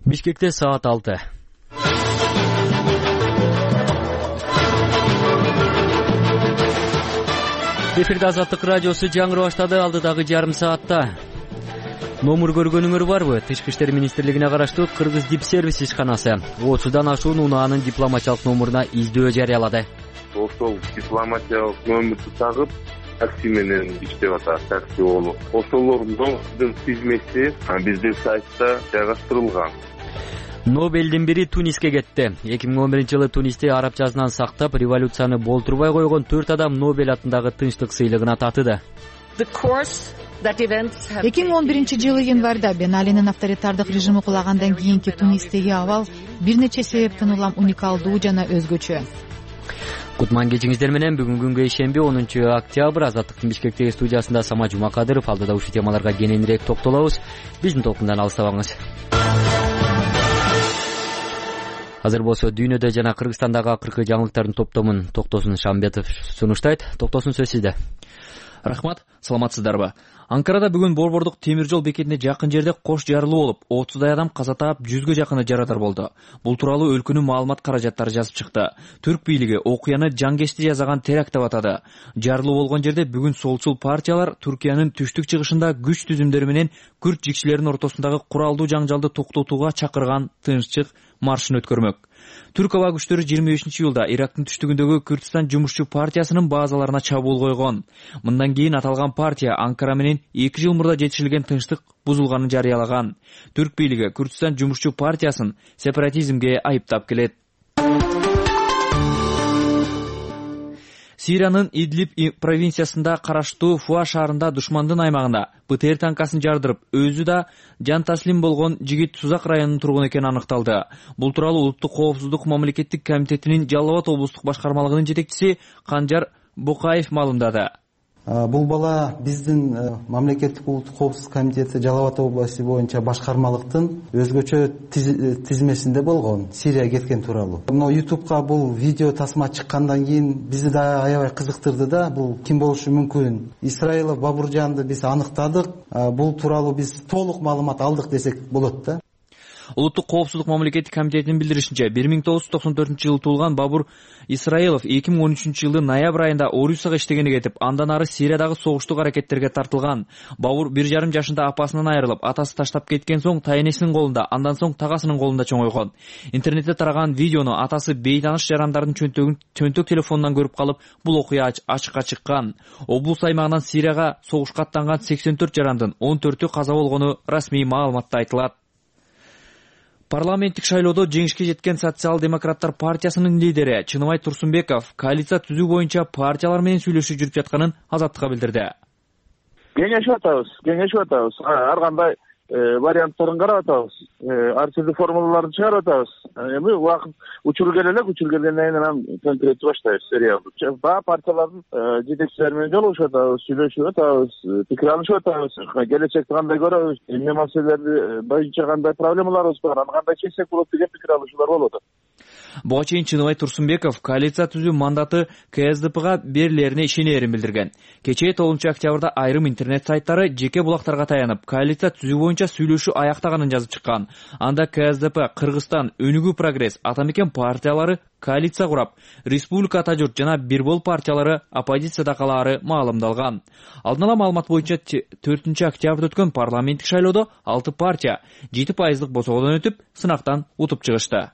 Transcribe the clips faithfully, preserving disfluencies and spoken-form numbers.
Бишкекте саат алты. Эфирде Азаттык радиосу жаңырып баштады. Алдыдагы жарым саатта номур көргөнүңөр барбы? Тышкы иштер министрлигине караштуу Кыргыз Дипсервис ишканасы отуздан ашуун унаанын дипломатиялык номуруна издөө жарыялады. Ошол дипломатиялык номурду тагып такси менен иштеп атат, такси болуп. Ошолордун тизмеси биздин сайтта жайгаштырылган. Нобелдин бири Туниске кетти. эки миң он биринчи жылы Тунисте арабчасынан сактап, революцияны болтурбай койгон төрт адам Нобель атындагы тынчтык сыйлыгына татыды. эки миң он биринчи жылы январда Бен Алинин авторитардык режими кулагандан кийинки Тунистеги абал бир нече себептен улам уникалдуу жана өзгөчө. Кутман кечиңиздер менен бүгүнкү күнгө ишемби онунчу октябрь Азаттыктын Бишкектеги студиясында Сама Жумакадыров. Алдыда ушул темаларга кененирээк токтолобуз. Биздин толкундан алыстабаңыз. Азыр болсо дүйнөдө жана Кыргызстандагы акыркы жаңылыктардын топтомун Токтосун Шамбетов сунуштайт. Токтосун, сөз сизде. Рахмат, саламатсыздарбы? Анкарада бүгүн Борбордук темир жол бекетине жакын жерде кош жарылуу болуп, отуздай адам каза таап, жүзгө жакыны жарадар болду. Бул тууралуу өлкөнүн маалымат каражаттары жазып чыкты. Түрк бийлиги окуяны жангечти жасаган теракт деп атады. Жарылуу болгон жерде бүгүн солчул партиялар Түркиянын түштүк чыгышында күч түзүмдөрү менен күрд жикчилердин ортосундагы куралдуу жаңжалды токтотууга чакырган тынччык маршын өткөрмөк. Түрк аба күчтөрү жыйырма бешинчи июлда Ирактын түштүгүндөгү Күрдистан жумушчу партиясынын базаларына чабуул койгон. Мындан кийин аталган партия Анкара менен эки жыл мурда жетишилген тынчтык бузулганын жарыялаган. Түрк бийлиги Күрдистан жумушчу партиясын сепаратизмге айыптап келет. Сириянын Идлиб провинциясында караштуу Фуа шаарында душмандын аймагында БТР танкасын жардырып, өзү да жан таслим болгон жигит Сузак районунун тургуну экени аныкталды. Бул тууралуу Улуттук коопсуздук мамлекеттик комитетинин Жалал Абад облустук башкармалыгынын жетекчиси Канжар Букаев маалымдады. Бул бала биздин мамлекеттик улуттук коопсуздук комитети Жалал Абад областы боюнча башкармалыктын өзгөчө тизмесинде болгон, Сирияга кеткен тууралуу. Мына ютубка бул видео тасма чыккандан кийин бизди да аябай кызыктырды да, бул ким болушу мүмкүн? Исраилов Бабуржанды биз аныктадык, бул тууралуу биз толук маалымат алдык десек болот да. Улуттук коопсуздук мамлекеттик комитетинин билдиришинче, бир миң тогуз жүз токсон төртүнчү жылы туулган Бабур Исраилов эки миң он үчүнчү жылы ноябрь айында Орусияга иштегени кетип, андан ары Сириядагы согуштук аракеттерге тартылган. Бабур бир жарым жашында апасынан айрылып, атасы таштап кеткен соң тайнесинин колунда, андан соң тагасынын колунда чоңойгон. Интернетте тараган видеону атасы бейтаныш жарандардын чөнтөгүн чөнтөк телефонунан көрүп калып, бул окуя ачыкка чыккан. Облус аймагынан Сирияга согушка аттанган сексен төрт жарандын он төртү каза болгону расмий маалыматта айтылат. Парламенттик шайлоодо жеңишке жеткен Социал-демократтар партиясынын лидери Чыныбай Турсунбеков коалиция түзүү боюнча партиялар менен сүйлөшүү жүрүп жатканын Азаттыкка билдирди. Кеңешип атабыз, кеңешип атабыз. Ар кандай варианттарын карап атабыз. Ар түрдүү формулаларды чыгарып атабыз. Эми убакыт учур келе элек, учур келгенден кийин анан конкреттүү баштайбыз, сериалдуу. Баа партиялардын жетекчилери менен жолугушуп атабыз, сүйлөшүп атабыз, пикир алышып атабыз. Келечекти кандай көрөбүз, эмне маселелерди боюнча кандай проблемаларыбыз бар, аны кандай чечсек болот деген пикир алышуулар болот. Буга чейин Чыныбай Турсунбеков коалиция түзүү мандаты КСДПга берилерине ишенерин билдирген. Кечээ тогузунчу октябрда айрым интернет сайттары жеке булактарга таянып, коалиция түзүү боюнча сүйлөшүү аяктаганын жазып чыккан. Анда КСДП, Кыргызстан, Өнүгүү Прогресс, Атамекен партиялары коалиция курап, Республика Ата журт жана Бир бол партиялары оппозицияда калаары маалымдалган. Алдын ала маалымат боюнча төртүнчү октябрда өткөн парламенттик шайлоодо алты партия жети пайыздык босоодон өтүп, сынактан утуп чыгышты.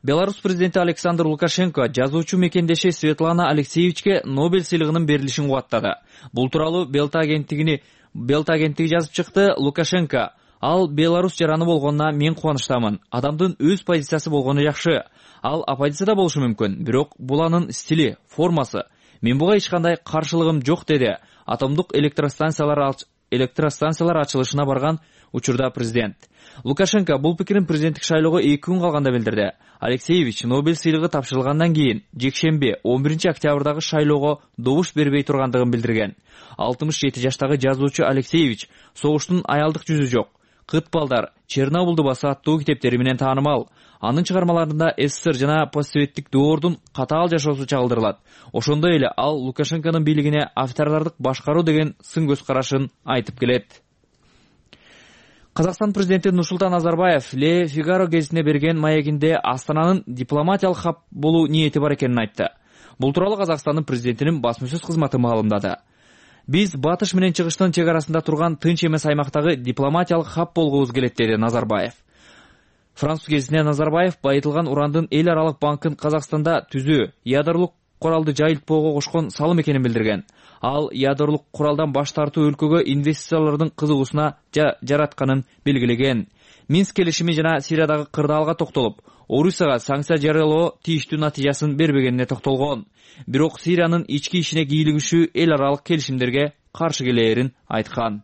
Беларусь президенти Александр Лукашенко жазуучу мекендеши Светлана Алексеевичке Нобель сыйлыгынын берилишин кубаттады. Бул тууралуу Белта агенттигини Белта агенттиги жазып чыкты. Лукашенко: "Ал Беларусь жараны болгонуна мен кубанычтамын. Адамдын өз позициясы болгону жакшы. Ал оппозицияда болушу мүмкүн, бирок бул анын стили, формасы. Мен буга эч кандай каршылыгым жок", деди атомдук электростанциялар электростанциялар ачылышына барган учурда президент. Лукашенко бул пикирин президенттик шайлоого эки күн калганда билдирди. Алексеевич Нобель сыйлыгы тапшырылгандан кийин жекшемби он биринчи октябрдагы шайлоого добуш бербей тургандыгын билдирген. алтымыш жети жаштагы жазуучу Алексеевич согуштун аялдык жүзү жок, Кыт балдар, Чернобылды баса аттуу китептери менен таанымал. Анын чыгармаларында СССР жана постсоветтик доордун катаал жашоосу чагылдырылат. Ошондой эле ал Лукашенконун бийлигине автордордук башкаруу деген сын көз карашын айтып келет. Казакстан президенти Нурсултан Назарбаев Le Figaro гезитине берген маегинде Астананын дипломатиялык хаб болуу ниети бар экенин айтты. Бул тууралуу Казакстандын президентинин басма сөз кызматы маалымдады. Биз батыш менен чыгыштын чек арасында турган тынч эмес аймактагы дипломатиялык хаб болгубуз келет, деди Назарбаев. Француз гезитине Назарбаев байытылган урандын эл аралык банкын Казакстанда түзүү, ядерлык куралды жайылтпоого кошкон салым экенин билдирген. Ал ядерлык куралдан баш тартуу өлкөгө инвестициялардын кызыгуусуна жаратканын белгилеген. Минск келишими жана Сириядагы кырдаалга токтолуп, Орусияга санкция жарыялоо тийиштүү натыйжасын бербегенине токтолгон. Бирок Сириянын ички ишине кийлигишүү эл аралык келишимдерге каршы келээрин айткан.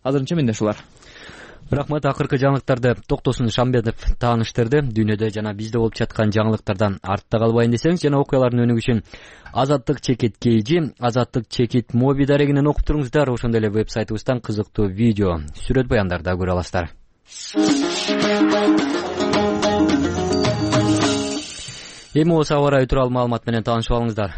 Азырынча менде ушулар. Рахмат. Акыркы жаңылыктарды Токтосун Шамбетов тааныштырды. Дүйнөдө жана бизде болуп жаткан жаңылыктардан артта калбайын десеңиз, жана окуялардын өнүгүшү үчүн Азаттык чекит кейжи, Азаттык чекит моби дарегинен окуп туруңуздар. Ошондой эле вебсайтыбыздан кызыктуу видео, сүрөт баяндарды да көрө аласыздар. Эми осы аба ырайы тууралуу маалымат менен таанышып алыңыздар.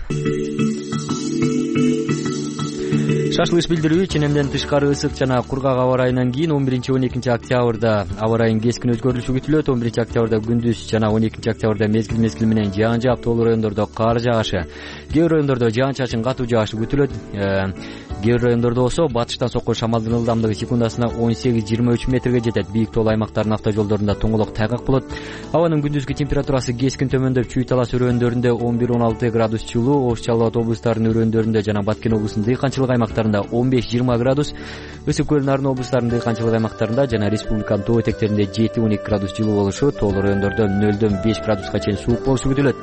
Шашлыш билдирүү ченемден тышкары ысык жана кургак аба ырайынан кийин он биринчи он экинчи октябрда аба ырайынын кескин өзгөрүлүшү күтүлөт. он биринчи октябрда күндүз жана он экинчи октябрда мезгил мезгил менен жаан жаап, тоолуу райондордо кар жаашы, кээ бир райондордо жаан чачын катуу жаашы күтүлөт. Кээ бир райондордо болсо батыштан соккон шамалдын ылдамдыгы секундасына он сегиз жыйырма үч метрге жетет. Бийик тоолуу аймактардын автожолдорунда тоңолок тайгак болот. Абанын күндүзгү температурасы кескин төмөндөп, Чүй Талас өрөөндөрүндө он бир он алты градус жылуу, Ош Жалал Абад облустарынын өрөөндөрүндө жана Баткен облусунун дыйканчылык аймактарында он беш жыйырма градус, Ысык көл Нарын облустарынын дыйканчылык аймактарында жана республиканын тоо этектеринде жети он эки градус жылуу болушу, тоолуу райондордо нөлдөн беш градуска чейин суук болушу күтүлөт.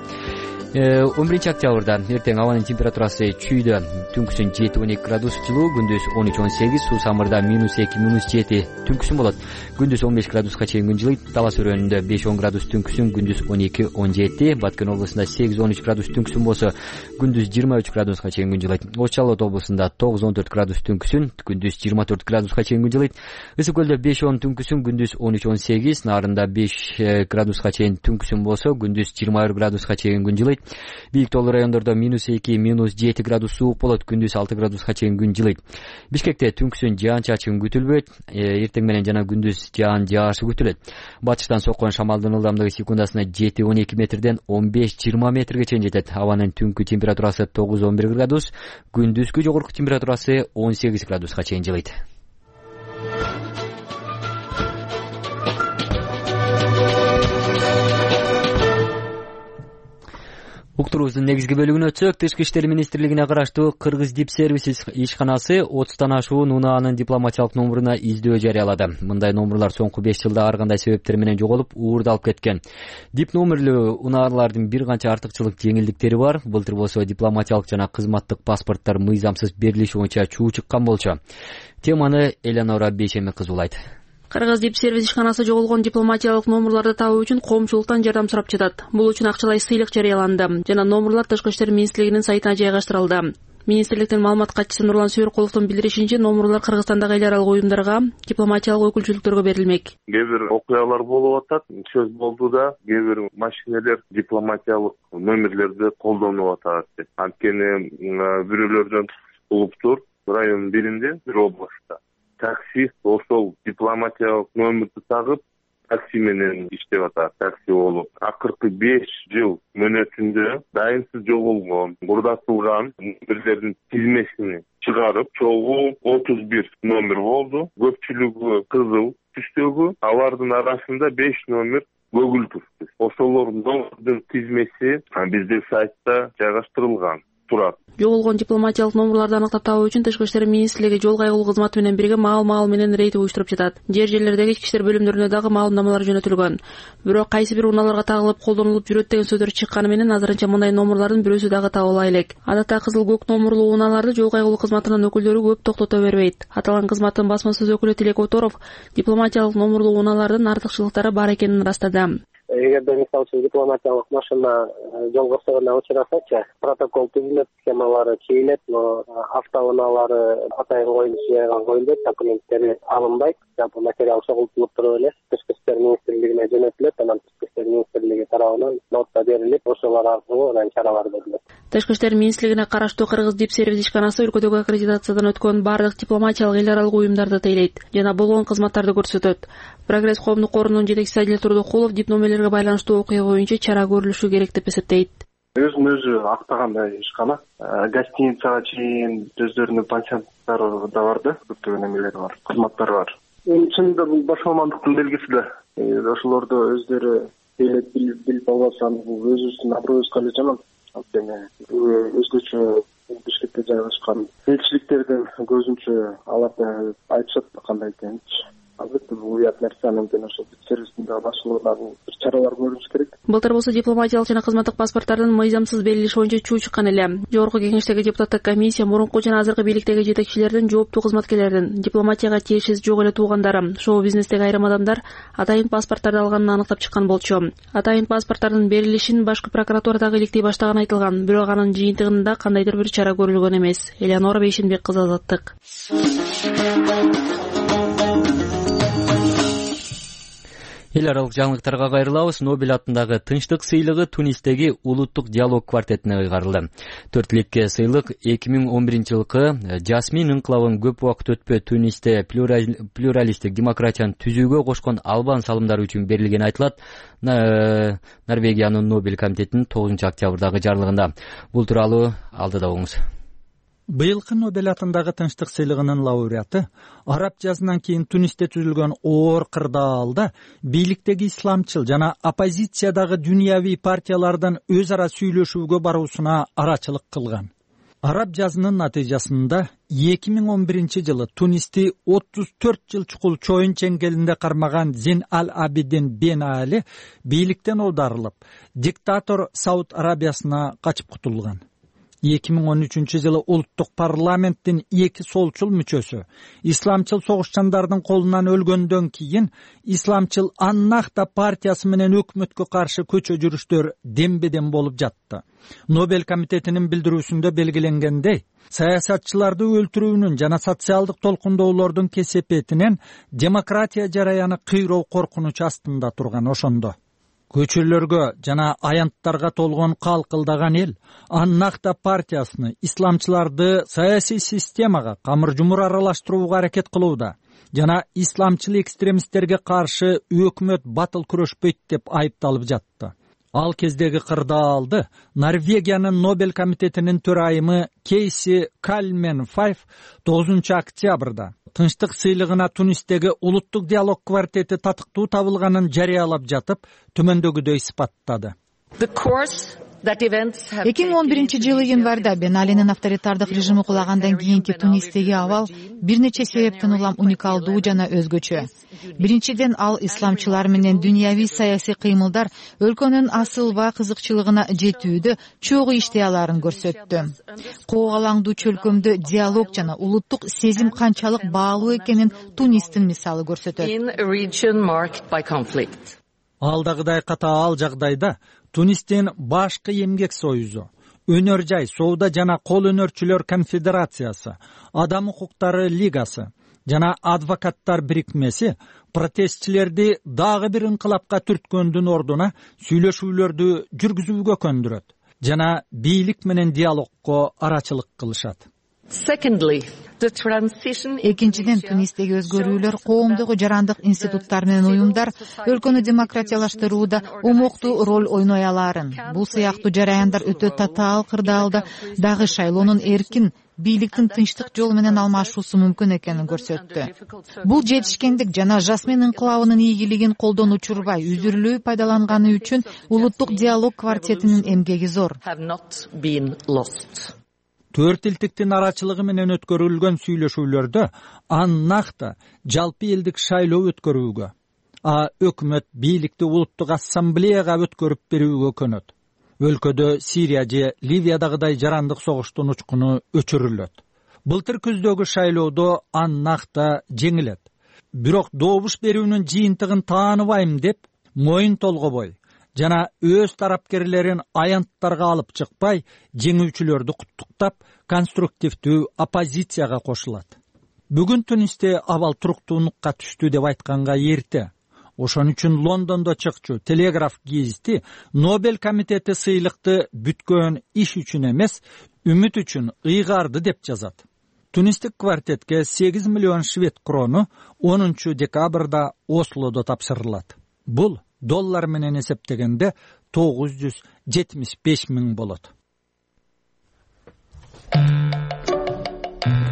он биринчи октябрда эртең абанын температурасы Чүйдө түнкүсүн жети он эки градус жылуу, күндүз он үч он сегиз, Суу Самырда минус эки минус жети түнкүсүн болот. Күндүз он беш градуска чейин күн жылыйт. Талас өрөөнүндө беш он градус түнкүсүн, күндүз он эки он жети, Баткен облусунда сегиз он үч градус түнкүсүн болсо, күндүз жыйырма үч градуска чейин күн жылыйт. Ош Жалал Абад облусунда тогуз он төрт градус түнкүсүн, күндүз жыйырма төрт градуска чейин күн жылыйт. Ысык көлдө беш он түнкүсүн, күндүз он үч он сегиз, Нарында беш градуска чейин түнкүсүн болсо, күндүз жыйырма бир градуска чейин күн жылыйт. Бийик тоолуу райондордо минус эки минус жети градус суук болот, күндүз алты градуска чейин күн жылыйт. Бишкекте түнкүсүн жаан чачын күтүлбөйт, эртең менен жана күндүз жаан жаашы күтүлөт. Батыштан соккон шамалдын ылдамдыгы секундасына жети он эки метрден он беш жыйырма метрге чейин жетет. Абанын түнкү температурасы тогуз он бир градус, күндүзгү жогорку температурасы он сегиз градуска чейин жылыйт. Уктуруубуздун негизги бөлүгүнө өтсөк, Тышкы иштер министрлигине караштуу Кыргыз Дипсервис ишканасы отуздан ашуун унаанын дипломатиялык номуруна издөө жарыялады. Мындай номурлар соңку беш жылда ар кандай себептер менен жоголуп, уурдалып кеткен. Дип номерлүү унаалардын бир канча артыкчылык жеңилдиктери бар. Былтыр болсо дипломатиялык жана кызматтык паспорттор мыйзамсыз берилиши боюнча чуу чыккан болчу. Теманы Элеонора Бейшеми кызуулайт. Кыргыз Дипсервис ишканасы жоголгон дипломатиялык номурларды табуу үчүн коомчулуктан жардам сурап жатат. Бул үчүн акчалай сыйлык жарыяланды жана номурлар Тышкы иштер министрлигинин сайтына жайгаштырылды. Министрликтин маалымат катчысы Нурлан Сүйөркуловдун билдиришинче, номурлар Кыргызстандагы эл аралык уюмдарга, дипломатиялык өкүлчүлүктөргө берилмек. Кээ бир окуялар болуп атат, сөз болду да, кээ бир машинелер дипломатиялык номерлерди колдонуп атат деп. Анткени бирөөлөрдөн улуптур районун биринде, бир областта таксист ошол дипломатиялык номерди тагып, такси менен иштеп атат, такси болуп. Акыркы беш жыл мөөнөтүндө дайынсыз жоголгон, бурдатылган номерлердин тизмесини чыгарып, чогуу отуз бир номер болду. Көпчүлүгү кызыл түстөгү, алардын арасында беш номер көгүл түстүү. Ошолордун тизмеси биздин сайтта жайгаштырылган турат. Жоголгон дипломатиялык номурларды аныктап табуу үчүн Тышкы иштер министрлиги жол кайгылуу кызматы менен бирге маал-маал менен рейд уюштуруп жатат. Жер жерлердеги ички иштер бөлүмдөрүнө дагы маалымдамалар жөнөтүлгөн. Бирок кайсы бир унааларга тагылып колдонулуп жүрөт деген сөздөр чыкканы менен азырынча мындай номурлардын бирөөсү дагы табыла элек. Адатта кызыл көк номурлуу унааларды жол кайгылуу кызматынын өкүлдөрү көп токтото бербейт. Аталган кызматтын басма сөз өкүлү Тилек Оторов дипломатиялык номурлуу унаалардын артыкчылыктары бар экенин ырастады. Эгерде мисалы үчүн дипломатиялык машина жол кырсыгына учурасачы, протокол түзүлөт, схемалары чийилет, но автоунаалары атайын коюлушу жайган коюлбайт, документтери алынбайт. Жалпы материал чогултулуп туруп эле Тышкы иштер министрлигине жөнөтүлөт, анан Тышкы иштер министрлиги тарабынан нотта берилип, ошолор аркылуу анан чаралар көрүлөт. Тышкы иштер министрлигине караштуу Кыргыз дипсервис ишканасы өлкөдөгү аккредитациядан өткөн бардык дипломатиялык эл аралык уюмдарды тейлейт жана болгон кызматтарды көрсөтөт. Прогресс коомдук қорунун жетекчиси Адил Турдукулов дипломелерге байланыштуу окуя боюнча чара көрүлүшү керек деп эсептейт. Өзүн өзү актагандай ишкана. Гостиницага чейин өздөрүнүн пансионаттары да бар да, көптөгөн эмелери бар, кызматтары бар. Чынында бул баш мамандыктын белгиси да. Ошолорду өздөрү тейлеп билип албасам, бул өзүбүздүн аброюбузга эле жаман. Анткени өзгөчө биштикте жайгашкан элчиликтердин көзүнчө аларды айтышат кандай экенинчи. Албетте бул уят нерсе, анткени ошол сервистин дагы башкаларынын бир чаралар көрүлүш керек. Былтыр болсо дипломатиялык жана кызматтык паспорттардын мыйзамсыз берилиши боюнча чуу чыккан эле. Жогорку кеңештеги депутаттык комиссия мурунку жана азыркы бийликтеги жетекчилердин, жооптуу кызматкерлердин, дипломатияга тиешеси жок эле туугандары, шоу бизнестеги айрым адамдар атайын паспорттарды алганын аныктап чыккан болчу. Атайын паспорттардын берилишин башкы прокуратурадагы иликтей баштаганы айтылган, бирок анын жыйынтыгында кандайдыр бир чара көрүлгөн эмес. Элеонора Бейшенбек кызы, Азаттык. Эл аралык жаңылыктарга кайрылабыз. Нобель атындагы тынчтык сыйлыгы Тунистеги улуттук диалог квартетине ыйгарылды. Төрт тилекке сыйлык эки миң он биринчи жылкы Жасмин инкылабын көп убакыт өтпөй Тунисте плюралисттик демократияны түзүүгө кошкон албан салымдары үчүн берилгени айтылат. Норвегиянын Нобель комитетинин тогузунчу октябрдагы жарлыгында. Бул тууралуу алдыда угуңуз. Быйылкы Нобель атындагы тынчтык сыйлыгынын лауреаты араб жазынан кийин Тунисте түзүлгөн оор кырдаалда бийликтеги исламчыл жана оппозициядагы дүйнөви партиялардан өз ара сүйлөшүүгө баруусуна арачылык кылган. Араб жазынын натыйжасында эки миң он биринчи жылы Тунисти отуз төрт жыл чукул чоюн чеңгелинде кармаган Зин аль-Абидин Бен Али бийликтен аударылып, диктатор Сауд Арабиясына качып кутулган. эки миң он үчүнчү жылы улуттук парламенттин эки солчул мүчөсү исламчыл согушчандардын колунан өлгөндөн кийин исламчыл Аннахта партиясы менен өкмөткө каршы көчө жүрүштөр дембедем болуп жатты. Нобель комитетинин билдирүүсүндө белгиленгендей, саясатчыларды өлтүрүүнүн жана социалдык толкундоолордун кесепетинен демократия жараяны кыйроо коркунуч астында турган. Ошондо көчөлөргө жана аянттарга толгон калкылдаган эл Аннахта партиясыны исламчыларды саясий системага камыр-жумур аралаштырууга аракет кылууда жана исламчыл экстремисттерге каршы өкмөт батыл күрөшпөйт деп айыпталып жатты. Ал кездеги кырдаалды Норвегиянын Нобель комитетинин төрайымы Кейси Кальмен Файф тогузунчу октябрда тынчтык сыйлыгына Тунистеги улуттук диалог квартети татыктуу табылганын жарыялап жатып, төмөндөгүдөй сыпаттады. эки миң он биринчи жылы январда Бен Алинин авторитардык режими кулагандан кийинки Тунистеги абал бир нече себептен улам уникалдуу жана өзгөчө. Биринчиден, ал исламчылар менен дүйнөви саясий кыймылдар өлкөнүн асылба кызыкчылыгына жетүүдө чогуу иштей аларын көрсөттү. Коогалаңдуу чөлкөмдө диалог жана улуттук сезим канчалык баалуу экенин Тунистин мисалы көрсөтөт. Алдагыдай катаал жагдайда Тунистин башкы эмгек союзу, өнөр жай соода жана кол өнөрчүлөр конфедерациясы, адам укуктары лигасы жана адвокаттар бирикмеси протестчилерди дагы бир инкылапка түрткөндүн ордуна сүйлөшүүлөрдү жүргүзүүгө көндүрөт жана бийлик менен диалогго арачылык кылышат. Экинчиден, Тунистеги өзгөрүүлөр коомдогу жарандык институттар менен уюмдар өлкөнү демократиялаштырууда умуктуу роль ойной аларын. Бул сыяктуу жараяндар өтө татаал кырдаалда дагы шайлоонун эркин бийликтин тынчтык жол менен алмашуусу мүмкүн экенин көрсөттү. Бул жетишкендик жана Жасмин инкылабынын ийгилигин колдон учурбай, үзүрүлүү пайдаланганы үчүн улуттук диалог квартетинин эмгеги зор. Төрт илтиктин арачылыгы менен өткөрүлгөн сүйлөшүүлөрдө Аннахта жалпы элдик шайлоо өткөрүүгө, а өкмөт бийликти улуттук ассамблеяга өткөрүп берүүгө көнөт. Өлкөдө Сирия же Ливиядагыдай жарандык согуштун учкуну өчүрүлөт. Былтыр күздөгү шайлоодо Аннахта жеңилет. Бирок добуш берүүнүн жыйынтыгын тааныбайм деп моюн толгобой жана өз тарапкерлерин аянттарга алып чыкпай, жеңүүчүлөрдү куттуктап, конструктивдүү оппозицияга кошулат. Бүгүн Тунисте абал туруктуулукка түштү деп айтканга эрте. Ошон үчүн Лондондо чыкчу Телеграф гезити Нобель комитети сыйлыкты бүткөн иш үчүн эмес, үмүт үчүн ыйгарды деп жазат. Тунистик квартетке сегиз миллион швед крону онунчу декабрда Ослодо тапшырылат. Бул доллар менен эсептегенде тогуз жүз жетимиш беш миң болот.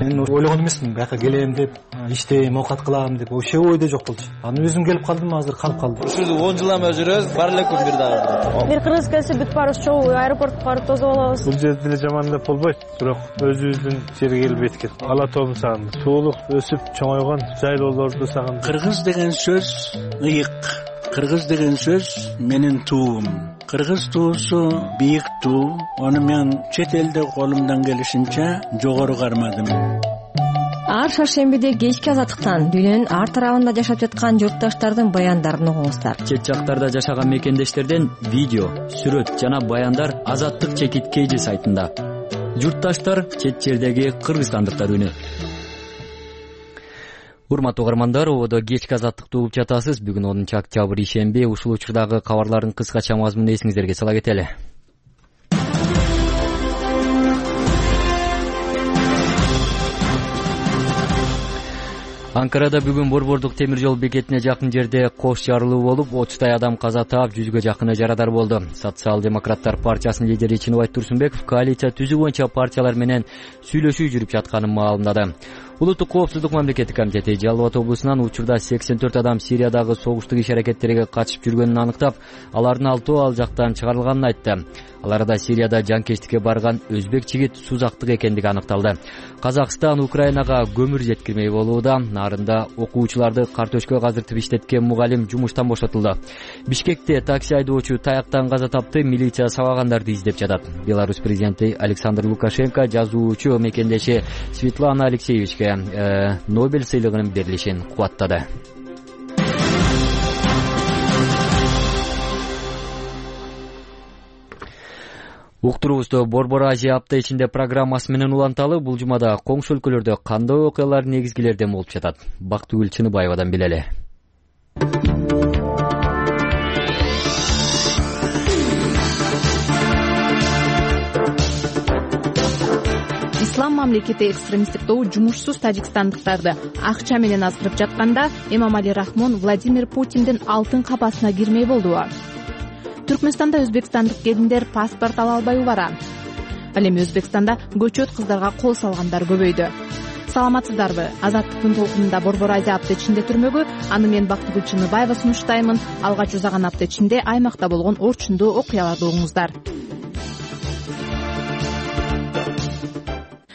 Мен ойлогон эмесмин, бияка келем деп, иштейм, оокат кылам деп, вообще ойдо жок болчу. Аны өзүм келип калдым, азыр калып калдым. Ушул он жылдан бери жүрөбүз, бар эле күн бир дагы. Бир кыргыз келсе бүт барыбыз чогуу аэропортко барып тосуп алабыз. Бул жерде деле жаман деп болбойт, бирок өзүбүздүн жерге келип эткет. Ала тообун сагындым. Суулук өсүп чоңойгон жайлоолорду сагындым. Кыргыз деген сөз ыйык. Кыргыз деген сөз менин туум. Кыргыз туусу бийик туу. Аны мен чет элде колумдан келишинче жогору кармадым. Ар шаршембиде кечки азаттыктан дүйнөнүн ар тарабында жашап жаткан журтташтардын баяндарын угуңуздар. Чет жактарда жашаган мекендештерден видео, сүрөт жана баяндар Азаттык чекит кейжи сайтында. Журтташтар чет жердеги кыргызстандыктар үнү. Урматтуу угармандар, ободо кечки Азаттыкты угуп жатасыз. Бүгүн онунчу октябрь ишемби. Ушул учурдагы кабарлардын кыскача мазмунун эсиңиздерге сала кетели. Анкарада бүгүн Борбордук темир жол бекетине жакын жерде кош жарылуу болуп, отуздай адам каза таап, жүзгө жакыны жарадар болду. Социал-демократтар партиясынын лидери Чыныбай Турсунбеков коалиция түзүү боюнча партиялар менен сүйлөшүү жүрүп жатканын маалымдады. Улуттук коопсуздук мамлекеттик комитети Жалал Абад облусунан учурда сексен төрт адам Сириядагы согуштук иш-аракеттерге катышып жүргөнүн аныктап, алардын алтоо ал жактан чыгарылганын айтты. Аларда Сирияда жанкечтикке барган өзбек жигит Сузактык экендиги аныкталды. Казакстан Украинага көмүр жеткирмей болууда. Нарында окуучуларды картөшкө казыртып иштеткен мугалим жумуштан бошотулду. Бишкекте такси айдоочу таяктан каза тапты, милиция сабагандарды издеп жатат. Беларусь президенти Александр Лукашенко жазуучу мекендеши Светлана Алексеевичке э, Нобель сыйлыгынын берилишин кубаттады. Уктуруубузду Борбор Азия апта ичинде программасы менен уланталы. Бул жумада коңшу өлкөлөрдө кандай окуялар негизгилерден болуп жатат? Бактыгүл Чыныбаевадан билели. Ислам мамлекети экстремисттик тобу жумушсуз тажикстандыктарды акча менен аздырып жатканда Эмомали Рахмон Владимир Путиндин алтын капасына кирмей болдубу? Түркмөнстанда өзбекстандык келиндер паспорт ала албай убара. Ал эми Өзбекстанда көчөт кыздарга кол салгандар көбөйдү. Саламатсыздарбы? Азаттыктын толкунунда Борбор Азия апта ичинде түрмөгү. Аны мен Бактыгүл Чыныбаева сунуштаймын. Алгач узаган апта ичинде аймакта болгон орчундуу окуяларды угуңуздар.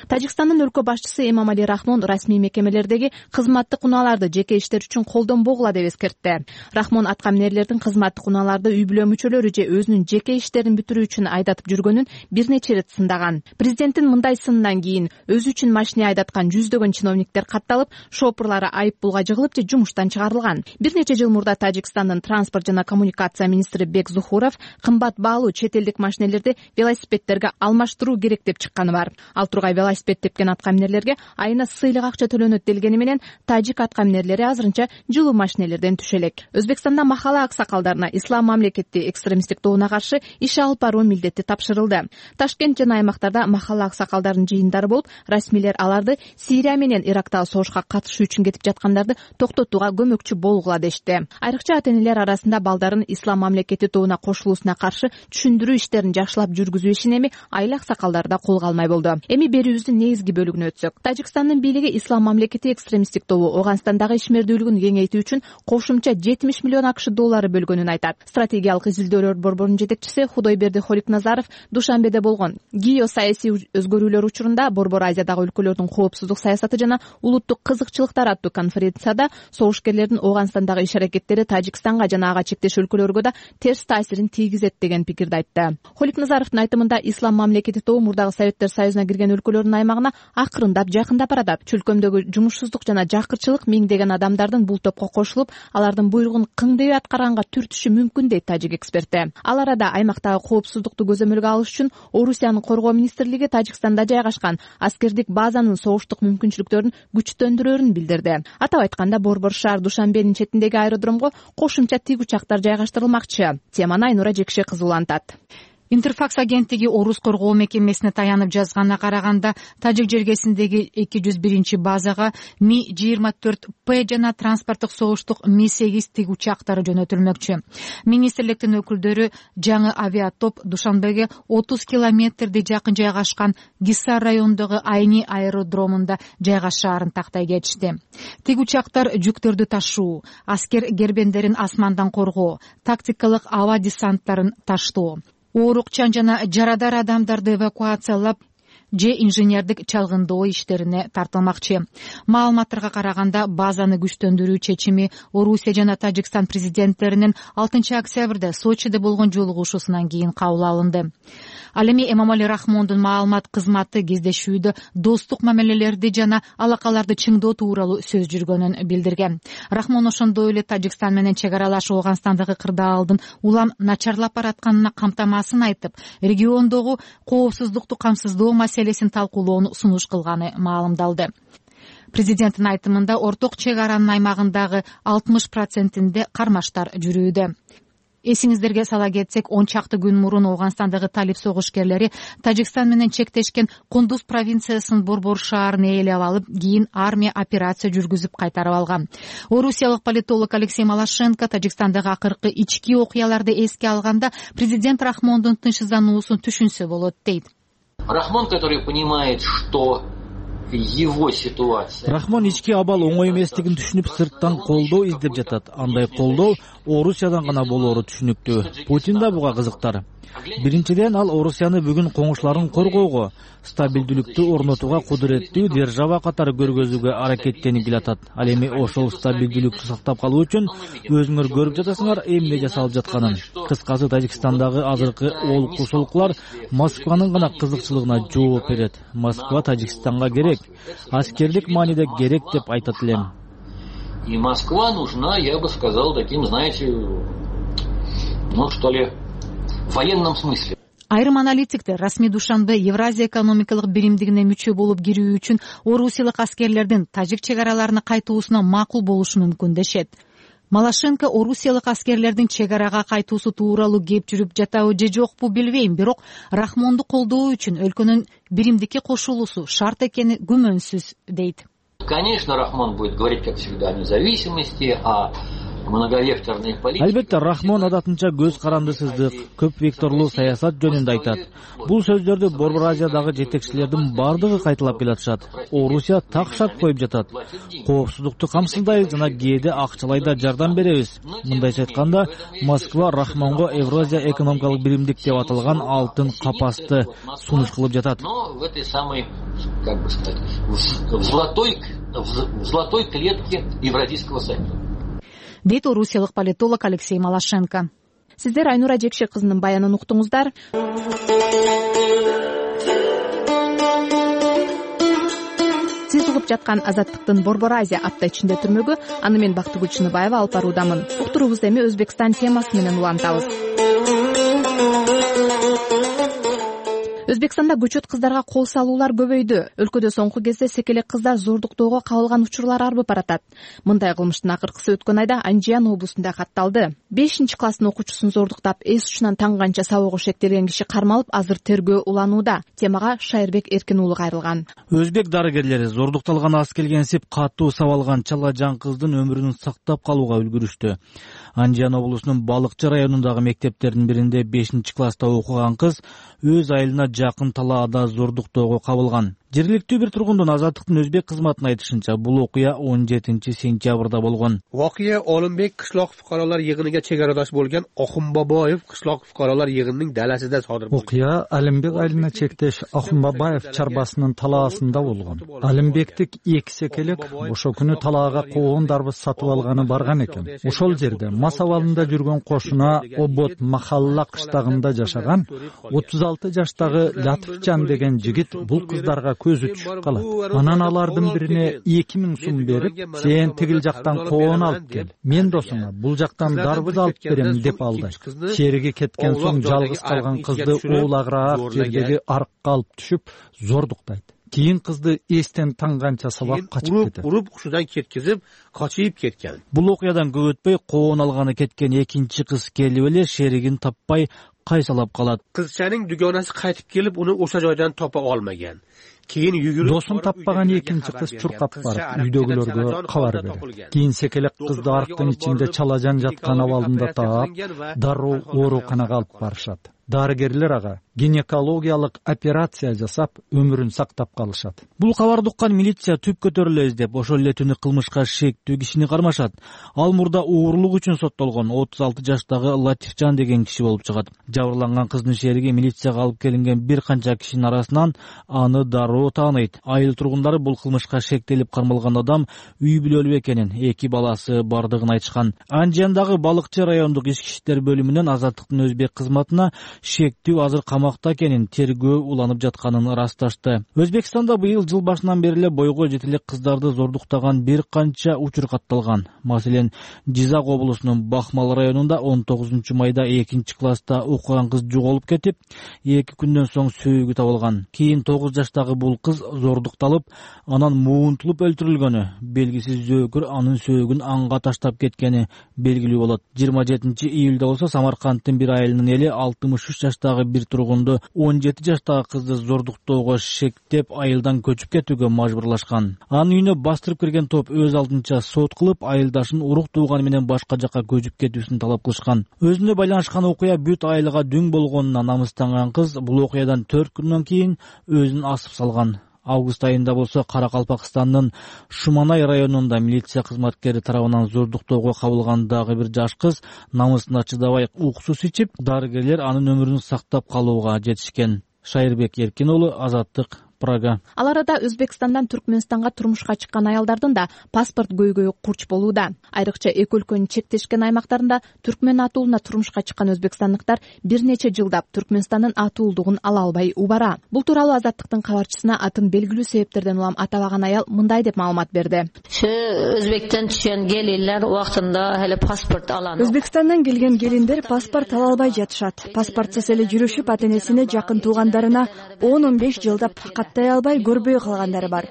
Тажикстандын өлкө башчысы Эмомали Рахмон расмий мекемелердеги кызматтык унааларды жеке иштер үчүн колдонбогула деп эскертти. Рахмон аткаминерлердин кызматтык унааларды үй бүлө мүчөлөрү же өзүнүн жеке иштерин бүтүрүү үчүн айдатып жүргөнүн бир нече ирет сындаган. Президенттин мындай сынынан кийин өзү үчүн машина айдаткан жүздөгөн чиновниктер катталып, шопурлары айып пулга жыгылып же жумуштан чыгарылган. Бир нече жыл мурда Тажикстандын транспорт жана коммуникация министри Бек Зухуров кымбат баалуу чет элдик машинелерди велосипедтерге алмаштыруу керек деп чыкканы бар. Ал тургай велосипед тепкен аткаминерлерге айына сыйлык акча төлөнөт делгени менен тажик аткаминерлери азырынча жылуу машинелерден түшө элек. Өзбекстанда махалла аксакалдарына ислам мамлекети экстремисттик тобуна каршы иш алып баруу милдети тапшырылды. Ташкент жана аймактарда махалла аксакалдарынын жыйындары болуп, расмийлер аларды Сирия менен Ирактагы согушка катышуу үчүн кетип жаткандарды токтотууга көмөкчү болгула дешти. Айрыкча ата-энелер арасында балдарын ислам мамлекети тобуна кошулуусуна каршы түшүндүрүү иштерин жакшылап жүргүзүү ишин эми айыл аксакалдары да колго алмай болду. Эми берүүбүздүн негизги бөлүгүнө өтсөк, Тажикстандын бийлиги ислам мамлекети экстремисттик тобу Ооганстандагы ишмердүүлүгүн кеңейтүү үчүн кошумча жетимиш миллион акш доллары бөлгөнүн айтат. Стратегиялык изилдөөлөр борборунун жетекчиси Худойберди Холикназаров Душанбеде болгон геосаясий өзгөрүүлөр учурунда Борбор Азиядагы өлкөлөрдүн коопсуздук саясаты жана улуттук кызыкчылыктар аттуу конференцияда согушкерлердин Ооганстандагы иш-аракеттери Тажикстанга жана ага чектеш өлкөлөргө да терс таасирин тийгизет деген пикирди айтты. Холикназаровдун айтымында ислам мамлекети тобу мурдагы Советтер Союзуна кирген өлкөлөрдүн аймагына акырындап жакындап баратат. Чөлкөмдөгү жумушсуздук жана жакырчылык миңдеген адамдардын бул топко кошулуп, алардын буйругун кыңдебей аткарганга түртүшү мүмкүн дейт тажик эксперти. Ал арада аймактагы коопсуздукту көзөмөлгө алыш үчүн Орусиянын коргоо министрлиги Тажикстанда жайгашкан аскердик базанын согуштук мүмкүнчүлүктөрүн күчтөндүрөөрүн билдирди. Атап айтканда, Борбор шаар Душанбенин четиндеги аэродромго кошумча тик учактар жайгаштырылмакчы. Теманы Айнура Жекше кызуулантат. Интерфакс агенттиги Орус коргоо мекемесине таянып жазганына караганда, Тажик жергесиндеги эки жүз биринчи базага Ми жыйырма төрт П жана транспорттук согуштук Ми сегиз тиг учактары жөнөтүлмөкчү. Министрликтин өкүлдөрү жаңы авиатоп Душанбеге отуз километрдей жакын жайгашкан Гисар районундагы Айни аэродромунда жайгашаарын тактай кетишти. Тиг учактар жүктөрдү ташуу, аскер гербендерин асмандан коргоо, тактикалык аба десанттарын таштоо, оорукчан жана жарадар адамдарды эвакуациялап же инженердик чалгындоо иштерине тартылмакчы. Маалыматтарга караганда, базаны күчтөндүрүү чечими Орусия жана Тажикстан президенттеринин алтынчы октябрда Сочиде болгон жолугушуусунан кийин кабыл алынды. Ал эми Эмомали Рахмондун маалымат кызматы кездешүүдө достук мамилелерди жана алакаларды чыңдоо тууралуу сөз жүргөнүн билдирген. Рахмон ошондой эле Тажикстан менен чек аралаш Ооганстандагы кырдаалдын улам начарлап баратканына камтамасын айтып, региондогу коопсуздукту камсыздоо маселесин талкуулоону сунуш кылганы маалымдалды. Президенттин айтымында, орток чек аранын аймагындагы алтымыш процентинде кармаштар жүрүүдө. Эсиңиздерге сала кетсек, он чакты күн мурун Ооганстандагы талип согушкерлери Тажикстан менен чектешкен Кундуз провинциясынын Борбор шаарын ээлеп алып, кийин армия операция жүргүзүп кайтарып алган. Орусиялык политолог Алексей Малашенко Тажикстандагы акыркы ички окуяларды эске алганда, президент Рахмондун тынчсыздануусун түшүнсө болот дейт. Рахмон, который понимает, что его ситуация. Рахмон ички абал оңой эместигин түшүнүп, сырттан колдоо издеп жатат. Андай колдоо Орусиядан гана болоору түшүнүктүү. Путин да буга кызыктар. Биринчиден, ал Орусияны бүгүн коңушларын коргоого, стабилдүүлүктү орнотууга кудуреттүү держава катары көргөзүүгө аракеттенип келатат. Ал эми ошол стабилдүүлүктү сактап калуу үчүн өзүңөр көрүп жатасыңар эмне жасалып жатканын. Кыскасы, Тажикстандагы азыркы олку-солкулар Москванын гана кызыкчылыгына жооп берет. Москва Тажикстанга керек, аскердик мааниде керек деп айтат элем. И Москва нужна, я бы сказал, таким, знаете, ну что ли, в военном смысле. Айрым аналитиктер расмий Душанбе Евразия экономикалык биримдигине мүчө болуп кирүү үчүн орусиялык аскерлердин тажик чек араларына кайтуусуна макул болушу мүмкүн дешет. Малашенко орусиялык аскерлердин чек арага кайтуусу тууралуу кеп жүрүп жатабы же жокпу билбейм, бирок Рахмонду колдоо үчүн өлкөнүн биримдикке кошулуусу шарт экени күмөнсүз дейт. Конечно, Рахмон будет говорить, как всегда, о независимости, о многовекторной политике. Албетте, Рахмон адатынча көз карандысыздык, көп векторлуу саясат жөнүндө айтат. Бул сөздөрдү Борбор Азиядагы жетекчилердин бардыгы кайталап келатышат. Орусия так шарт коюп жатат. Коопсуздукту камсыздайбыз жана кээде акчалай да жардам беребиз. Мындайча айтканда, Москва Рахмонго Евразия экономикалык биримдик деп аталган алтын капасты сунуш кылып жатат. Но в этой самой, как бы сказать, в золотой, в золотой клетке Евразийского союза. Дейт орусиялык политолог Алексей Малашенко. Сиздер Айнура Жекше кызынын баянын уктуңуздар. Сиз угуп жаткан Азаттыктын Борбор Азия апта ичинде түрмөгү, аны мен Бактыгүл Чыныбаева алып баруудамын. Уктуруубузду эми Өзбекстан темасы менен улантабыз. Өзбекстанда көчөт кыздарга кол салуулар көбөйдү. Өлкөдө соңку кезде секелек кыздар зордуктоого кабылган учурлар арбып баратат. Мындай кылмыштын акыркысы өткөн айда Анжиян облусунда катталды. бешинчи класстын окуучусун зордуктап, эс учунан таңганча сабоого шектелген киши кармалып, азыр тергөө уланууда. Темага Шайырбек Эркин уулу кайрылган. Өзбек дарыгерлери зордукталган ас келгенсип катуу сабалган чала жан кыздын өмүрүн сактап калууга үлгүрүштү. Анжиян облусунун Балыкчы районундагы мектептердин биринде бешинчи класста окуган кыз өз айылына жакын талаада зордуктоого кабылган. Жергиликтүү бир тургундун Азаттыктын өзбек кызматына айтышынча, бул окуя он жетинчи сентябрда болгон. Voqea Olimбек кышлак fuqarolar yig'iniga chegaradosh bo'lgan Oxunboboyev кышлак fuqarolar yig'inining dalasida sodir bo'lgan. Окуя Алимбек айылына чектеш Oxunboboyev чарбасынын талаасында болгон. Алимбектик эки секелек ошо күнү талаага коон дарбыз сатып алганы барган экен. Ошол жерде мас абалында жүргөн кошуна Обот Махалла кыштагында жашаган отуз алты жаштагы Латыфжан деген жигит бул кыздарга көзү түшүп калат. Анан алардын бирине эки миң сум берип, сен тигил жактан коон алып кел, мен досуңа бул жактан дарбыз алып берем деп алды. Шериги кеткен соң жалгыз калган кызды уулагыраак жердеги арыкка алып түшүп зордуктайт. Кийин кызды эстен танганча сабап качып кетет. Уруп, ушудан кеткизип, качып кеткен. Бул окуядан көп өтпөй коон алганы кеткен экинчи кыз келип эле шеригин таппай кайсалап калат. Кызчанын дугонасы кайтып келип, уну ошо жайдан топо алмаган. Кийин жүгүрүп досун таппаган экинчи кыз чуркап барып үйдөгүлөргө кабар берет. Кийин секелек кызды арыктын ичинде чалажан жаткан абалында таап, дароо ооруканага алып барышат. Дарыгерлер ага гинекологиялык операция жасап, өмүрүн сактап калышат. Бул кабарды уккан милиция түп көтөрүлө издеп, ошол эле түнү кылмышка шектүү кишини кармашат. Ал мурда уурулук үчүн соттолгон отуз алты жаштагы Латифжан деген киши болуп чыгат. Жабырланган кыздын шериги милицияга алып келинген бир канча кишинин арасынан аны дароо тааныйт. Айыл тургундары бул кылмышка шектелип кармалган адам үй бүлөлүү экенин, эки баласы бардыгын айтышкан. Анжиандагы Балыкчы райондук ички иштер бөлүмүнөн Азаттыктын Өзбек кызматына шектүү азыр камакта экенин, тергөө уланып жатканын ырасташты. Өзбекстанда быйыл жыл башынан бери эле бойго жете элек кыздарды зордуктаган бир канча учур катталган. Маселен, Жизак облусунун Бахмал районунда он тогузунчу майда экинчи класста окуган кыз жоголуп кетип, эки күндөн соң сөөгү табылган. Кийин тогуз жаштагы бул кыз зордукталып, анан муунтулуп өлтүрүлгөнү, белгисиз зөөкүр анын сөөгүн анга таштап кеткени белгилүү болот. жыйырма жетинчи июлда болсо Самаркандтын бир айылынын эли алтымыш үч жаштагы бир тургунду он жети жаштагы кызды зордуктоого шектеп айылдан көчүп кетүүгө мажбурлашкан. Анын үйүнө бастырып кирген топ өз алдынча сот кылып, айылдашын урук тууганы менен башка жакка көчүп кетүүсүн талап кылышкан. Өзүнө байланышкан окуя бүт айылга дүң болгонуна намыстанган кыз бул окуядан төрт күндөн кийин өзүн асып салган. Август айында болсо Каракалпакстандын Шуманай районунда милиция кызматкери тарабынан зордуктоого кабылган дагы бир жаш кыз намысына чыдабай уксус ичип, дарыгерлер анын өмүрүн сактап калууга жетишкен. Шайырбек Эркин уулу, Азаттык, Прага. Ал арада Өзбекстандан Түркмөнстанга турмушка чыккан аялдардын да паспорт көйгөйү курч болууда. Айрыкча эки өлкөнүн чектешкен аймактарында түркмөн атуулуна турмушка чыккан өзбекстандыктар бир нече жылдап Түркмөнстандын атуулдугун ала албай убара. Бул тууралуу Азаттыктын кабарчысына атын белгилүү себептерден улам атабаган аял мындай деп маалымат берди. Өзбектен түшкөн келиндер убактында эле паспорт алат. Өзбекстандан келген келиндер паспорт ала албай жатышат. Паспортсуз эле жүрүшүп, ата-энесине, жакын туугандарына он он беш жылдап каттай албай көрбөй калгандары бар.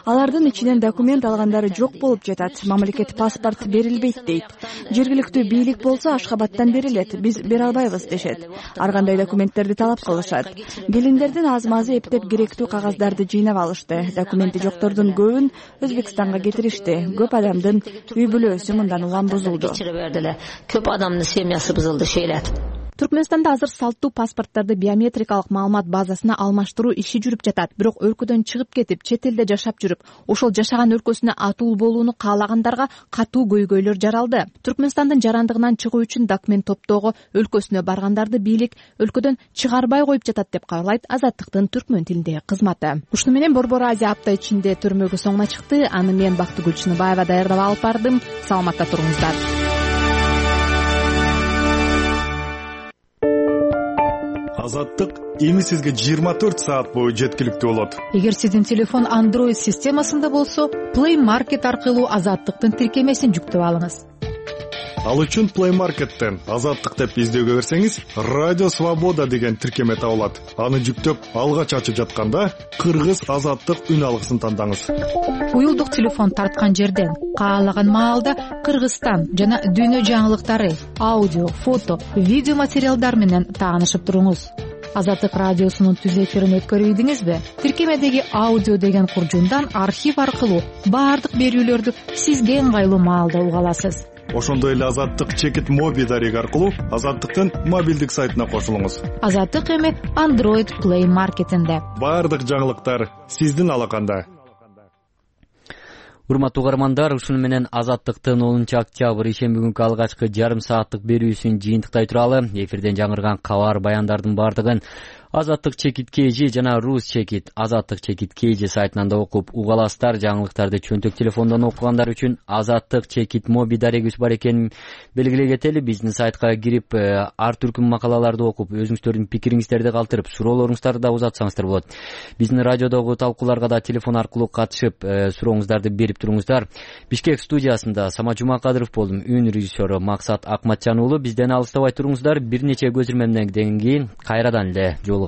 Алардын ичинен документ алгандары жок болуп жатат. Мамлекет паспорт берилбейт дейт. Жергиликтүү бийлик болсо Ашхабадтан берилет, биз бере албайбыз дешет. Ар кандай документтерди талап кылышат. Келиндердин азмазы эптеп керектүү кагаздарды жыйнап алышты. Документи жоктордун көбүн Өзбекстанга кетиришти. Көп адамдын үй бүлөсү мындан улам бузулду. Көп адамдын семьясы бузулду, шейлет. Түркмөнстанда азыр салттуу паспорттарды биометрикалык маалымат базасына алмаштыруу иши жүрүп жатат. Бирок өлкөдөн чыгып кетип, чет элде жашап жүрүп, ошол жашаган өлкөсүнө атуу болууну каалагандарга катуу көйгөйлөр жаралды. Түркмөнстандын жарандыгынан чыгуу үчүн документ топтоого өлкөсүнө баргандарды бийлик өлкөдөн чыгарбай коюп жатат деп кабарлайт Азаттыктын түркмөн тилиндеги кызматы. Ушуну менен Борбор Азия апта ичинде төрмөгү соңуна чыкты. Аны мен Бактыгүл Чыныбаева даярдап алып бардым. Саламатта туруңуздар. Азаттык эми сизге жыйырма төрт саат бою жеткиликтүү болот. Эгер сиздин телефон Android системасында болсо, Play Market аркылуу Азаттыктын тиркемесин жүктөп алыңыз. Ал үчүн Play Market'тен Азаттык деп издөөгө берсеңиз, Радио Свобода деген тиркеме табылат. Аны жүктөп, алгач ачып жатканда Кыргыз Азаттык үн алгысын тандаңыз. Уюлдук телефон тарткан жерден каалаган маалда Кыргызстан жана дүйнө жаңылыктары, аудио, фото, видео материалдар менен таанышып туруңуз. Азаттык радиосунун түз эфирин өткөрүйдүңүзбү? Тиркемедеги аудио деген куржундан архив аркылуу баардык берүүлөрдү сизге ыңгайлуу маалда уга аласыз. Ошондой эле Азаттык чекит моби дареги аркылуу Азаттыктын мобилдик сайтына кошулуңуз. Азаттык эми Android Play Market'инде. Баардык жаңылыктар сиздин алаканда. Урматтуу угармандар, ушуну менен Азаттыктын онунчу октябрь ишемби күнкү алгачкы жарым сааттык берүүсүн жыйынтыктай туралы эфирден жаңырган кабар баяндардын баардыгын Азаттык чекит kg жана Рус чекит Азаттык чекит kg сайтынан да окуп уга аласыздар. Жаңылыктарды чөнтөк телефондон окугандар үчүн Азаттык чекит моби дарегибиз бар экенин белгилей кетели. Биздин сайтка кирип ар түркүм макалаларды окуп, өзүңүздөрдүн пикириңиздерди калтырып, суроолоруңуздарды да узатсаңыздар болот. Биздин радиодогу талкууларга да телефон аркылуу катышып, сурооңуздарды берип туруңуздар. Бишкек студиясында Сама Жумакадыров болдум. Үн режиссеру Максат Акматжан уулу. Бизден алыстабай туруңуздар. Бир нече көзүрмөмдөн кийин кайрадан эле жолугабыз.